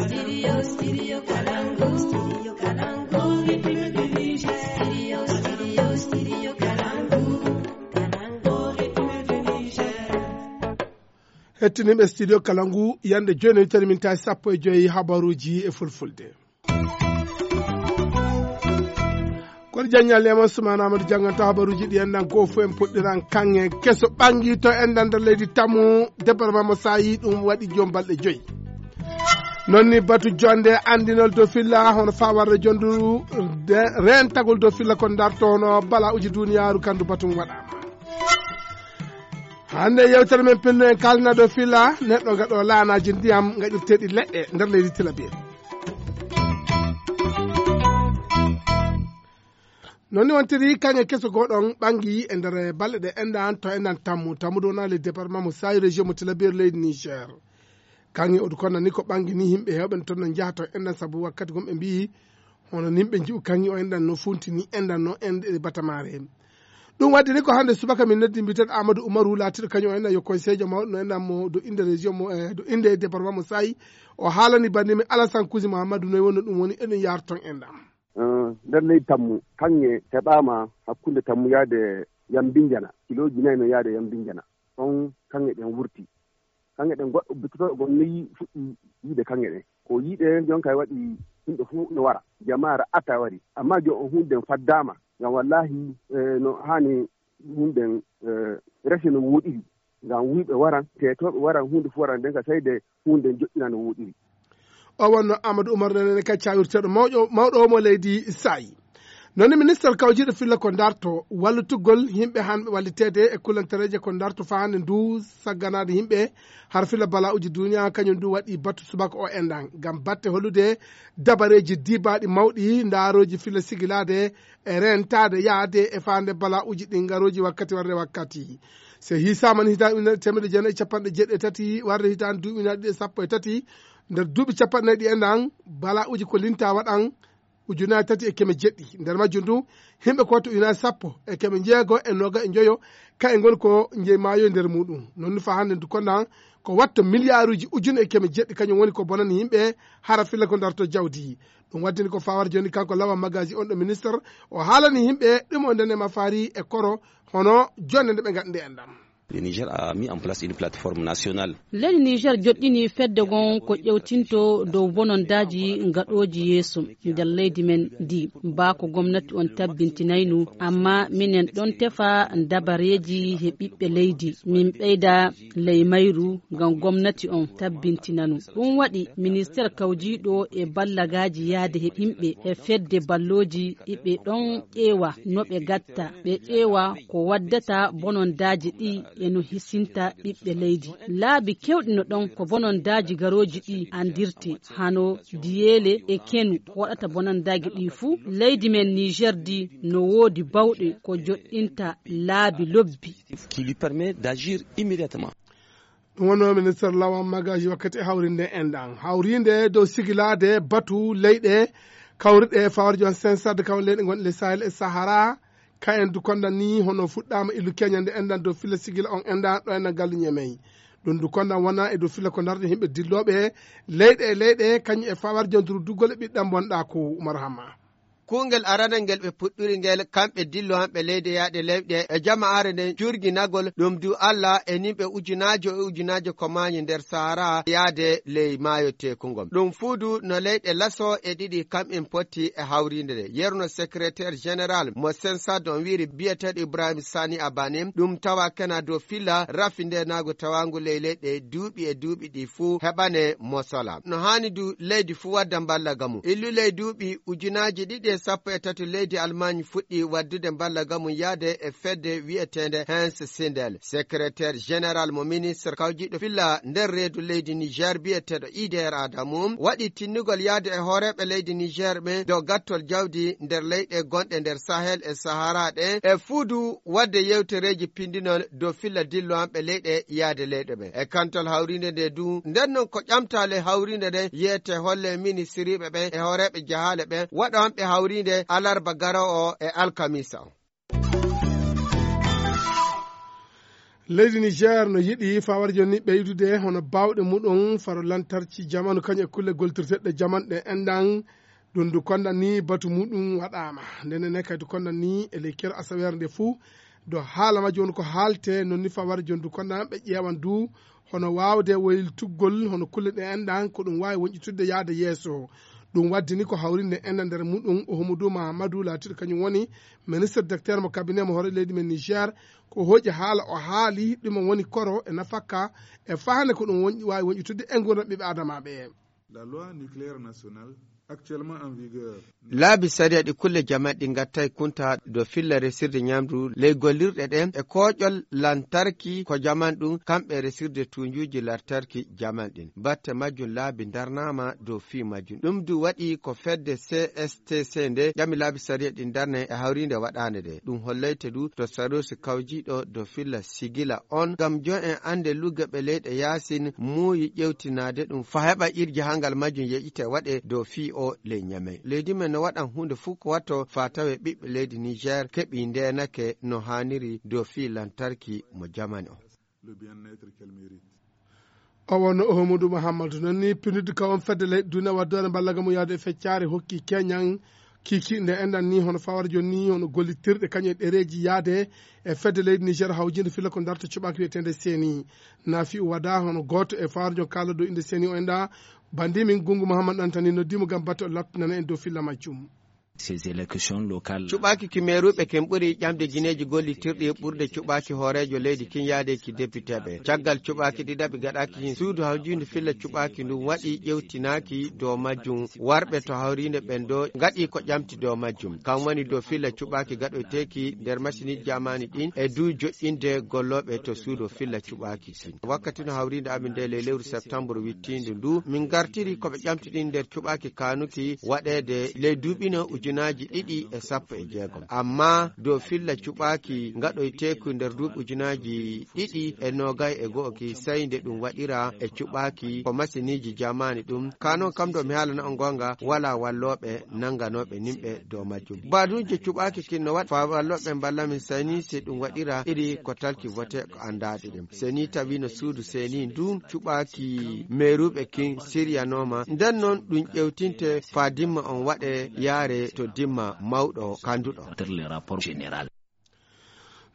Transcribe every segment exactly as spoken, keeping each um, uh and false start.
Studio, studio Kalangu, studio Kalangu, rythme de Niger. Studio, studio, studio Kalangu, Kalangu, rythme de Niger. Hettiniiɓe studio Kalangu, yande jooni tawi min tawi sappo e joyi habaruuji e fulfulde. Kono jaññal e mon Sumaana Amadou jannganta habaruuji ɗi enɗan ko fof en puɗɗiran kaŋŋe keso ɓanngi to enɗan nder leydi Tammu, département mo Saayi, ɗum waɗi joom balɗe joyi. Noon ni batu jonde anndinol dow filla hono fawarde jondu de reentagol dow filla ko darto hono bala'uji duniyaaru kandu batu waɗaama. Hannde yewtere men pello en kalna dow filla neɗɗo gaɗo laanaaji ndiyam gaɗirteeɗi leɗɗe nder leydi Tilaberi. Noon ni wontiri kaŋŋe keso goɗon ɓanngi e nder balɗe ɗe enɗan to enɗan Tammu. Tammu ɗo wona le département mo Saayi, région mo Tilaberi, leydi Niger. Kaŋŋe oɗo konna ni ko ɓanngi ni yimɓe heewɓe toon no njaha to enɗan sabu wakkati gom ɓe mbiyi hono ni ɓe nji'u kaŋŋe o enɗan no funti ni enɗan no enɗe batamaare. Ɗum waɗi ni ko hannde subaka min noddi mbiyeteeɗo Amadou Oumarou laatiiɗo kañum o enɗan yo conseiller mawɗo no enɗan mo do innde région mo, eh, do innde département mo Saayi. O haalani banndi men Alassane Kouzi Mahamadou noy wonno ɗum woni eɗum yaara toon enɗan. Eh, nder leydi Tammu, kaŋŋe heɓaama hakkunde Tammu yaade Yambinjana, kilooji nayi no yaade Yambinjana. Ɗon kaŋŋe ɗen wurti. Kaŋŋe ɗen goɗɗo bittotooɗo gom no yi-, fuɗɗi yiide kaŋŋe ɗen. Ko yiide ɗen jon kay waɗi yimɓe fof no wara. Jamaa raɓɓata wari. Amma jon on huunde nden faddaama. Ngam wallaahi, eh, no haani huunde nden, eh, rese no wooɗiri. Ngam wuyɓe waran, teetooɓe waran, huunde fof waran nden ka seyde huunde joƴƴina no wooɗiri. O wonno Amadou Oumar Nene ka cawirteeɗo mawƴo-, mawɗo o mo leydi Sayi. Noon ni minister kawjiiɗo filla ko darto wallitugol yimɓe hanɓe walliteede e kulantareeje ko darto faa hannde ndu sagganaade yimɓe har filla bala'uji duniya kañum ndu waɗi batu subaka o enɗan ngam batte hollude dabareeji diibaaɗi mawɗi ndaarooji filla sigilaade e reentaade yaade e faande bala'uji ɗi ngarooji wakkati warde wakkati. So hiisaama ni hitaande ujunere teemedde jeenayi e capanɗe jeeɗiɗi e tati warde hitaande duuɓi ujunaaji ɗiɗi e sappo e tati, nder duuɓi capanɗe nayi ɗi enɗan, bala'uji ko linta waɗan ujunaaji tati e keme jeeɗiɗi. Nder majjum du, yimɓe ko watta ujunaaji sappo e keme jeego e nooga e njoyo, kaye ngoni ko njeyi maayo nder muuɗum. Noon ni faa hannde ndu kondan ko watta miliyaaruuji ujune e keme jeeɗiɗi, kañum woni ko bonani yimɓe hara filla ko darto jawdi. Ɗum waddini ko faawar jooni kanko Lawan Magaji on ɗo ministre, o haalani yimɓe ɗum o ndene mafaari e koro, hono jonde nde ɓe ngaɗi nde enɗan. Le Niger a mis en place une plateforme nationale. Leydi Niger joɗɗini fedde gon ko ƴewtinto dow bonondaaji gaɗooji yeeso nder leydi men ndi. Baa ko gomnati on tabbintinaynu, amma minen ɗon tefa dabareeji he ɓiɓɓe leydi. Min ɓeyda ley mayru ngam gomnati on tabbintinanu. Ɗum waɗi ministeer kawjiiɗo e ballagaaji yaade he yimɓe he fedde ballooji iɓe ɗon ƴeewa no ɓe gatta, ɓe ƴeewa ko waddata bonondaaji ɗi e no hisinta ɓiɓɓe leydi. Laabi kewɗi no ɗon ko bonondaaji garooji ɗi andirte, hano diyeele e kenu ko waɗata bonondaaji ɗi fuu. Leydi men Niger di no woodi bawɗe ko joɗɗinta laabi lobbi. Qui lui permet d'agir immédiatement. Ɗum wonno ministre Lawan Magaji wakkati e hawrinde enɗan. Hawrinde dow sigilaade batu leyɗe kawriɗe fawarjo on sensade kaw leyɗe gonɗe le Sahel e Sahara. Ka en du kondan ni hono fuɗɗaama illu keñande enɗan dow filla sigila on enɗan ɗo enɗan gallu ñemey. Ɗum du kondan wona e dow filla ko darde yimɓe dillooɓe leyɗe e leyɗe kañum e fawarjo nduru duggol e ɓiɗɗan bonɗa ko Umar Hamma. Kuungel aranal ngel ɓe puɗɗuri ngel, kamɓe dillooɓe leyɗe yaade leyɗe e jama'aare nden jurginagol ɗum du Allah e nimɓe ujunaajo e ujunaajo ko maayi nder Sahara yaade ley maayo teeku ngon. Ɗum fuu du no leyɗe laso e ɗiɗi kamɓen potti e hawriinde nde. Yerno secrétaire général mo Sensad on wiiri biyeteeɗo Ibrahim Sani Abane, ɗum tawa kena dow filla rafi ndenaagu tawaangu ley leyɗe duuɓi e duuɓi ɗi fuu heɓane mosola. No haani du leydi fuu wadda mballa gamu. Illu ley duuɓi ujunaaji ɗiɗi e sappo e tati leydi Almaañ fuɗɗi waddude mballa gamu yaade e fedde wi'eteende Hans Sindel. Secrétaire général mo ministre kawjiiɗo filla nder reedu leydi Niger biyeteeɗo Ider Adamu waɗi tinnugol yaade e hooreeɓe leydi Niger ɓen dow gattol jawdi nder leyɗe gonɗe nder Sahel e Sahara ɗen e fuu du wadde yewtereeji pindinol dow filla dillowanɓe leyɗe yaade leyɗe ɓen. E kantol hawriinde nde du, nden non ko ƴamtaale hawriinde nden yiyete holle ministiriiɓe ɓen e hooreeɓe jahaale ɓen waɗowanɓe hawriinde alarba garoowo o e alkamisa on. Leydi Niger no yiɗi fawar jonni ɓeydude hono baawɗe muɗum faro lantarki jamanu kañum e kulle goltirteɗe jaman ɗe enɗan. Ɗum ndu konda ni batu muɗum waɗaama. Ndenen ne kadi konda ni e ley kero asaweere nde fuu, do haala majji woni ko haalte, non ni fawar jonni ndu konda ɓe ƴeewan du hono waawde woyltuggol hono kulle ɗe enɗan ko ɗum waawi woñƴitudde yaade yeeso. Ɗum waddini ko hawrinde enɗan nder muɗum Ouhamadou Mahamadou laatiiɗo kañum woni ministre docteur mo cabinet mo hoore leydi men Niger. Ko hooƴi haala o haali ɗum woni koro e nafakka e fahande ko ɗum wonƴi- waawi woñƴitude e nguurndam ɓiɓɓe adamaaɓe. La loi nucléaire nationale actuellement en vigueur. Laabi sariya ɗi kulle jaman ɗi ngattay kunta do filla resirde ñamdu ley gollirɗe ɗen e kooƴol lantarki ko jaman ɗum kamɓe resirde tunjuuji lantarki jaman ɗin. Batte majjum laabi darnaama dow fii majjum. Ɗum du waɗi ko fedde C S T C nde ƴami laabi sariya ɗin darne e hawriinde waɗaande nde. Ɗum hollayte du to sarosi kawjiiɗo dow filla sigila on ngam jon en annde luggeɓe leyɗe yaasin muuyi ƴewtinaade ɗum fa heɓa irji hangal majjum yeƴite waɗe dow fii o ley Ñamey. Leydi men no waɗan huunde fuu ko watto fa tawe ɓiɓɓe leydi Niger keɓi ndeenake no haaniri dow fii lantarki mo jamani on. O wonno Ouhamadou Mahamadou. Non ni pinidde ka on fedde leyɗe duniya waddoore mballaga mum yaade e feccare hokki keñan kiki nde enɗan ni hono fawar jonni hono gollitirɗe kañum e ɗereji yaade e fedde leydi Niger hawjinde filla ko darta cuɓaki wiyetende seni. Nafi o wada hono goto e fawar jon kala dow inde seni o enɗa bandi min gungu Mahamadou Antani noddimo gam batte o lattinana en dow filla majjum. Ces élections locales. Cuɓaaki ki meeruɓe ken ɓuri ƴamde gineeji gollitirɗi ɓurde cuɓaaki hooreejo leydi kin yaade ki depiteeɓe. Caggal cuɓaaki ɗiɗaɓi gaɗaaki kin suudu hawjuundi filla cuɓaaki ndun waɗi ƴewtinaaki dow majjum. Warɓe to hawriinde ɓen ɗo ngaɗi ko ƴamti dow majjum. Kan woni dow filla cuɓaaki gaɗoyteeki nder masiniiji jamaani ɗin e duu joƴƴinde gollooɓe to suudu filla cuɓaaki kin. Wakkati no hawriinde amin nde ley lewru septembre wittiindu ndu, min ngartiri ko ɓe ƴamti ɗin nder cuɓaaki kaanuki waɗeede ley duuɓi no ujunaaji ɗiɗi e sappo e jeegom. Amma dow filla cuɓaaki ngaɗoyteeku nder duuɓi ujunaaji ɗiɗi e noogay e go'o ki, sey nde ɗum waɗira e cuɓaaki ko masiniiji jamaani ɗum. Kaa non kam, ɗo mi haalana on goonga, walaa wallooɓe nannganooɓe nimɓe dow majjum. Baaduuje cuɓaaki kin no waɗa faa wallooɓe mballa min, sey ni si ɗum waɗira iri ko talki vote ko anndaaɗo ɗum. Seni tawi no suudu seni ndun cuɓaaki meeruɓe kin siryanooma. Nden non ɗum ƴewtinte faa dimma on waɗe yaare to dimma mawɗo kanduɗo. Sur le rapport général.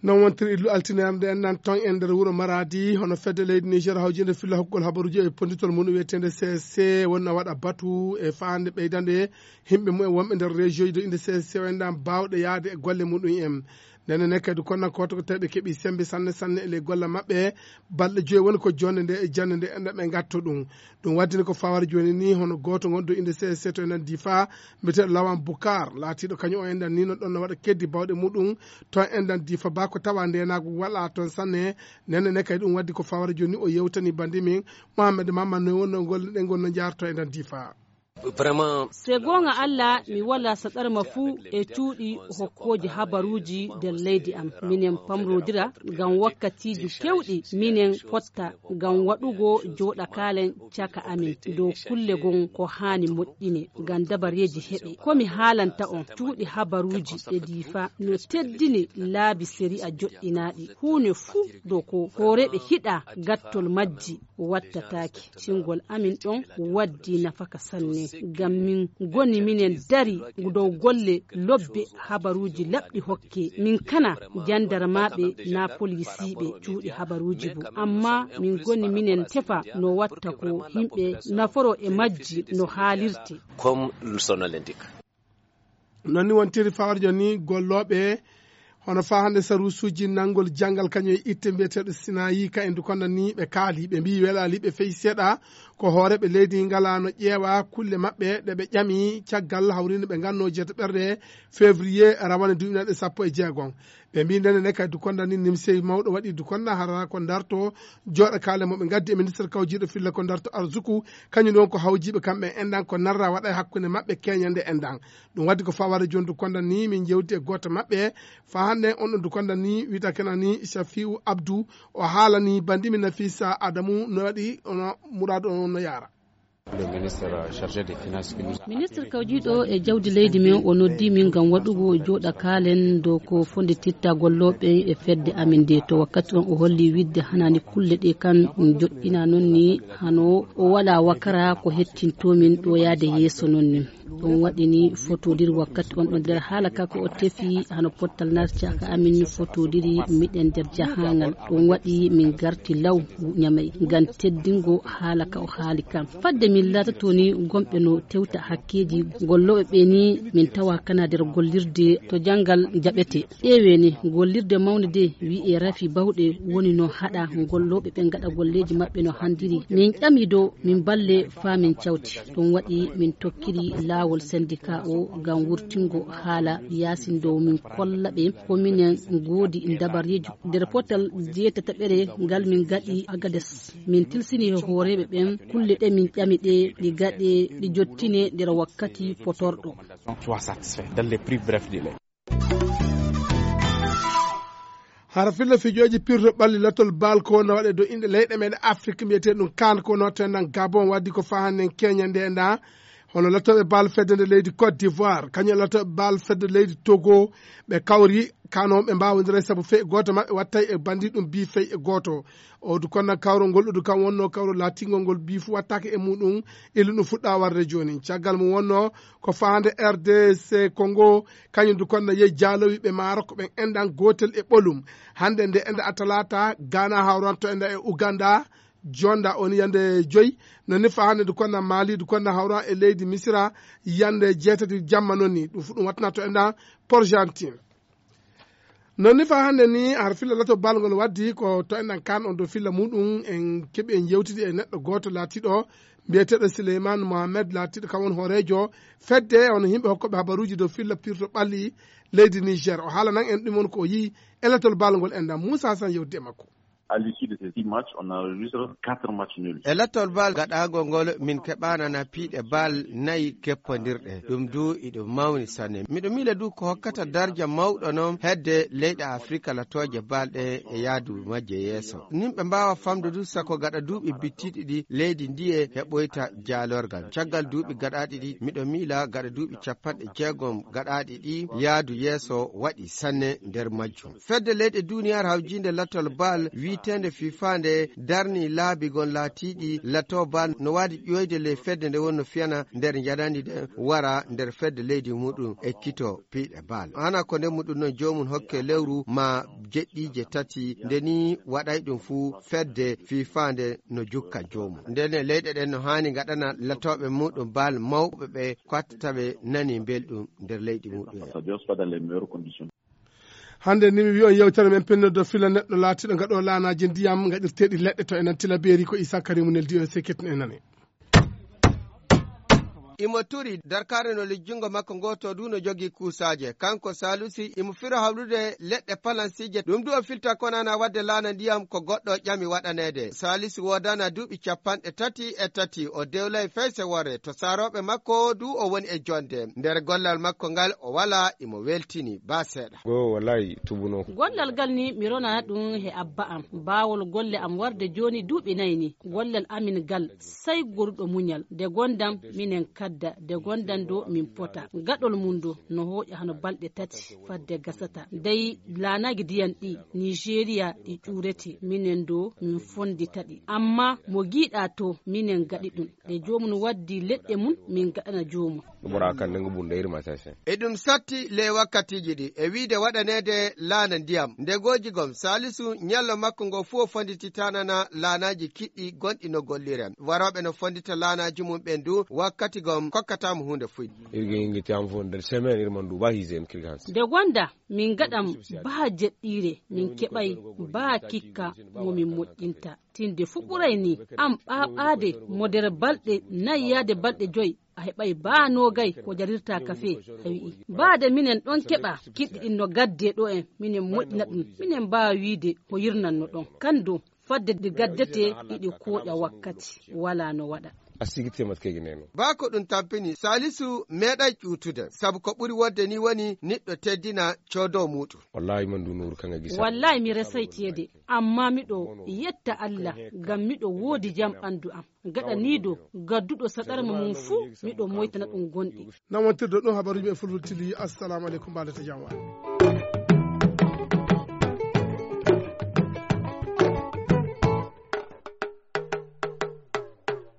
Non wontiri illu altine am nde enɗan ton e nder wuro Maradi, hono fedde leydi Niger hawjinde filla hokkugol habaruji e ponditol mum wiyeteende C S C wonna waɗa batu e fahande ɓeydande himɓe mumen wonɓe nder région ji ɗo inde C S C o enɗan bawɗe yaade e golle muɗum en. Ndenen ne kadi kono ko to ko tawi ɓe keɓi sembe sanne sanne e ley golle maɓɓe. Balɗe joyi woni ko jonde nde e jande nde enɗan ɓe gatto ɗum. Ɗum waddini ko fawar joni ni hono goto gonɗo inde C S C to enɗan Difa, mbiyeteɗo Lawan Bukar, laatiɗo kañum o enɗan ni no ɗon no waɗa keddi bawɗe muɗum to enɗan Difa ba ko tawa ndenagu wala ton sanne. Ndenen ne kadi ɗum waddi ko fawar joni ni o yewtani bandi min Mohamed Mamman no wonno golle ɗen gonno jarto enɗan Difa. Vraiment. Se goonga Alla, mi wala saɗarma fuu e cuuɗi hokkooji habaruuji nder leydi am. Minen pamrodira ngam wakkatiiji kewɗi, minen potta ngam waɗugo jooɗakaalen caka amin dow kulle gon ko haani moƴƴine ngam dabareeji heɓe. Ko mi haalanta on, cuuɗi habaruuji e Difa no teddini laabi sariya joɗɗinaaɗi. Huune fuu dow ko hooreeɓe hiɗa gattol majji wattataake. Cingol amin ɗon waddi nafaka sanne. Ngam min ngoni minen dari dow golle lobbe habaruuji laɓɗi hokke. Min kana jandarmaaɓe naa polisiiɓe cuuɗi habaruuji bo. Amma min ngoni minen tefa no watta ko yimɓe naforo e majji no haalirte. Comme son nom l'indique. Non ni wontiri fawarjo ni gollooɓe hono faa hannde saruusuuji nanngol janngal kañum e itte mbiyeteeɗo Sinayi ka e ndu konda ni ɓe kaali. Ɓe mbiyi welaali ɓe fey seeɗa ko hooreeɓe leydi ngalaano ƴeewa kulle maɓɓe ɗe ɓe ƴami caggal hawriinde ɓe ngannoo jeetaɓerde février rawane duuɓi naɗe sappo e jeegom. Ɓe mbiyi ndene ne kay dukonda ni nimsey mawɗo waɗi dukonda hara ko darto jooɗa kaale mo ɓe ngaddi e ministre kawjiiɗo filla ko darto arsuku kañum ɗon ko hawjiiɓe kamɓe enɗan ko narra waɗa e hakkunde maɓɓe keñande enɗan. Ɗum waddi ko fawade joni dukonda ni min jewti e gooto maɓɓe fa hannde on ɗon dukonda ni wiyata kena ni Safiu Abdou. O haalani bandimi Nafisa Adamu no waɗi ono muraadu on no yaara. Ministre kawjiiɗo e jawdi leydi men o noddi min ngam waɗugo jooɗa kaalen dow ko fondititta gollooɓe e fedde amin nde. To wakkati on o holli wiɗde hanaani kulle ɗe kan joɗɗina noon ni hano o wala wakara ko hettinto min ɗo yaade yeeso noon ni. Ɗum waɗi ni fotodiri wakkati on ɗo nder haala ka ko o tefi hano pottal narcaka amin fotodiri miɗen nder jahangal. Ɗum waɗi min garti law ñamay ngam teddingo haala ka o haali kam. Fadde min laatato ni gomɓe no tewta hakkeeji gollooɓe ɓe ni min tawa kana nder gollirde to janngal jaɓete. Ƴeewe ni gollirde mawnde de wi'e rafi bawɗe woni no haɗa gollooɓe ɓe ngaɗa golleeji maɓɓe no handiri. Min ƴami dow min balle faa min cawti. Ɗum waɗi min tokkiri laawol sendika o ngam wurtingo haala yaasin dow min kolla ɓe ko minen ngoodi dabareeji. Nder potal jeetataɓere ngal min gaɗi Agades, min tilsini e hooreeɓe ɓen kulle ɗe min ƴami ɗe ɗi gaɗe ɗi jottine nder wakkati potorɗo. Soit satisfait dans les plus brefs délais. Hara filla fijooji pirto ɓalli lattol bal ko no waɗe dow inɗe leyɗe meɗen Afrik mbiyetee ɗum kan ko no to enɗan Gabon waddi ko fahanen Kenya nde enɗan hono lattooɓe bal fedde nde leydi Côte d'Ivoire kañum lattooɓe bal fedde leydi Togo ɓe kawri kano ɓe mbawodira sabu fey gooto maɓɓe wattay e bandi ɗum bi fey e gooto. Odu konna kawro ngol odu kam wonno kawro laatingol ngol bi fu wattaka e muɗum illu ɗum fuɗɗa warde joni caggal mum wonno ko fahande R D C Congo kañum du konna yehi jaalowi ɓe Maroc ɓen enɗan gotel e ɓolum. Hande nde enɗa atalata Ghana hawranto enɗa e Uganda jonda on yande joyi. Nonni fahande du konna Mali du konna hawran e leydi Misira yande jeetati jamma nonni ɗum fu ɗum wattanato enɗan Porgentine. Non ni fa hannde ni har filla lato balngol waddi ko to enɗan kan on dow filla muɗum en keɓi en yewtidi e neɗɗo gooto laatiɗo mbiyeteɗo Sileyman Mohamed laatiɗo kam won hoorejo fedde on himɓe hokkoɓe habaruji dow filla pirto ɓalli leydi Niger o haalanan en ɗum on ko o yii e latol balngol enɗan Moussa Hassan yewtidi e makko. À l'issue de ces six matchs, on a enregistré quatre matchs nuls. E lattol bal gaɗaagol ngol min keɓaanana piiɗe bal nayi keppondirɗe ɗum du iɗum mawni sanne miɗo miila du ko hokkata darja mawɗo noon hedde leyɗe Afrika latooje bal ɗe e yaadu majje yeeso nimɓe mbaawa famde du sako gaɗa duuɓi bittiɗi ɗi leydi ndiye heɓoyta jaalorgal caggal duuɓi gaɗaaɗi ɗi miɗo miila gaɗa duuɓi capanɗe jeegom gaɗaaɗi ɗi yaadu yeeso waɗi sanne nder majjum. Fedde leyɗe duniyaaru hawjiinde lattol bal wiiteende fifa nde darni laabi gon laatiiɗi lato bal no waadi ƴooyde ley fedde nde wonno fiyana nder njanandi nde wara nder fedde leydi muɗum e kito piiɗe bal hana ko nde muɗum noon joomum hokke lewru ma jeɗɗiije tati nde ni waɗay ɗum fuu fedde fifa nde no jukka joomum ndene leyɗe ɗen no haani ngaɗana latooɓe muɗum bal mawɓe ɓe kottata ɓe nani belɗum nder leydi muɗum en. Hannde ni mi wi'on yewtere men pennirde filla neɗɗo laatiiɗo gaɗo laanaaji ndiyam gaɗirteeɗi leɗɗe to e nan tila beeri ko Issa Karimu neldi o e sekket en nane. Imo turi darkaare no lejjungo makko ngooto du no jogii kuusaaje kanko Saalusi imo firo hawrude leɗɗe palansiije ɗum du o filta konana waɗde laana ndiyam ko goɗɗo ƴami waɗaneede Saalusi woodana duuɓi capanɗe tati e tati o dewlay feyse worre to saarooɓe makko du o woni e jonde nder gollal makko ngal o wala imo weltini ba seeɗa. Go wallahi tubuno. Gollal ngal ni mi rona ɗum he abba am baawol golle am warde jooni duuɓi nayi ni gollal amin ngal sey goruɗo muñal nde gondam minen kadda nde gondam do min pota gaɗol mum do no hooƴa hano balɗe tati fadde gasata dey laanaagi diyan ɗi Nigeria ɗi ƴuurete minen do min fondita ɗi amma mo giiɗa to minen gaɗi ɗum ɗe joomum waddi leɗɗe mum min gaɗana joomum. Ɓura kan nde ngu ɓurnde yirma sese. Eɗum satti ley wakkatiiji ɗi e wiide waɗaneede laana ndiyam nde gooji gom saalisu ñallo makko ngo fuu o fondititanana laanaaji kiɗɗi gonɗi no golliren warooɓe no fondita laanaaji mum ɓen du wakkati gom kokkataamo huunde fuyde. Irgi ingi ti am fo nder semaine irma nduuɓa hise en kirgans. Nde gonda min ngaɗam baa jeɗɗiire min keɓay baa kikka mo min moƴƴinta. Tinde fuu ɓuray ni am ɓaaɓaade mo nder balɗe nayi yaade balɗe joy a heɓay baa noogay ko jarirta kafe. A wi'i baade minen ɗon keɓa kiɗɗi ɗin no gadde ɗo en minen moƴƴina ɗum minen mbaawa wiide ko yirnanno ɗon kan dow fadde ɗi gaddete iɗi kooƴa wakkati wala no waɗa. A sigirte mat kegi neno. Baa ko ɗum tampini, Salisu meeɗay ƴuutude, sabu ko ɓuri wodde ni woni niɗɗo teddina coodo muuɗum. Wallahi man du Nuuru kan a gisa. Wallahi mi resay teede, amma miɗo yetta Allah ngam miɗo woodi jam ɓandu am. Gaɗaniido gadduɗo saɗarma mum fuu, miɗo moytana ɗum gonɗi. Nawantirɗo ɗum habaruuji men Fulfulde T V, assalamu aleykum, mbaɗata jam waay.